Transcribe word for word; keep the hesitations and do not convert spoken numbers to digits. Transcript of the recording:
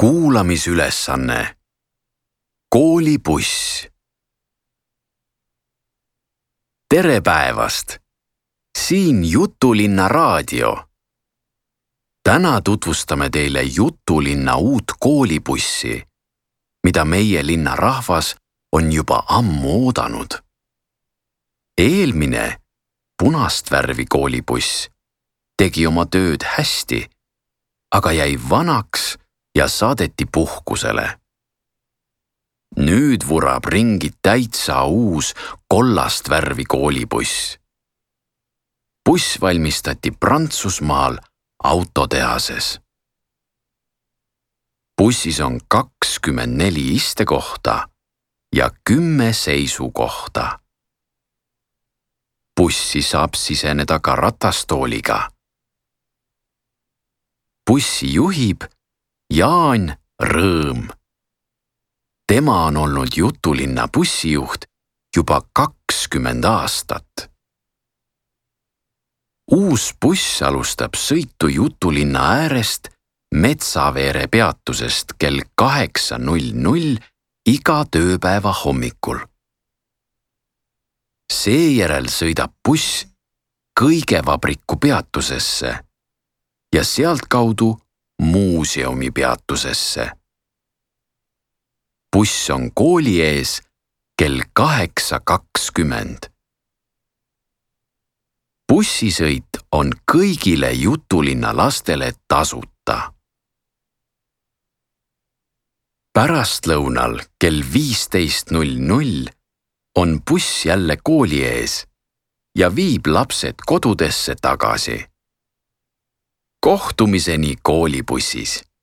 Kuulamisülesanne. Koolibuss. Tere päevast! Siin Jutulinna raadio. Täna tutvustame teile Jutulinna uut koolibussi, mida meie linna rahvas on juba ammu oodanud. Eelmine punast värvi koolibuss tegi oma tööd hästi, aga jäi vanaks ja saadeti puhkusele. Nüüd vurab ringi täitsa uus kollast värvi koolibuss. Buss valmistati Prantsusmaal autotehases. Bussis on kakskümmend neli istekohta ja kümme seisukohta. Bussi saab siseneda ka ratastooliga. Bussi juhib Jaan Rõõm. Tema on olnud Jutulinna bussijuht juba kakskümmend aastat. Uus buss alustab sõitu Jutulinna äärest Metsaveere peatusest kell kaheksa null null iga tööpäeva hommikul. Seejärel sõidab buss Kõigevabriku peatusesse ja sealtkaudu muuseumi peatusesse. Buss on kooli ees kell kaheksa kakskümmend. Bussisõit on kõigile Jutulinna lastele tasuta. Pärastlõunal kell viisteist null null on buss jälle kooli ees ja viib lapsed kodudesse tagasi. Kohtumiseni koolibussis!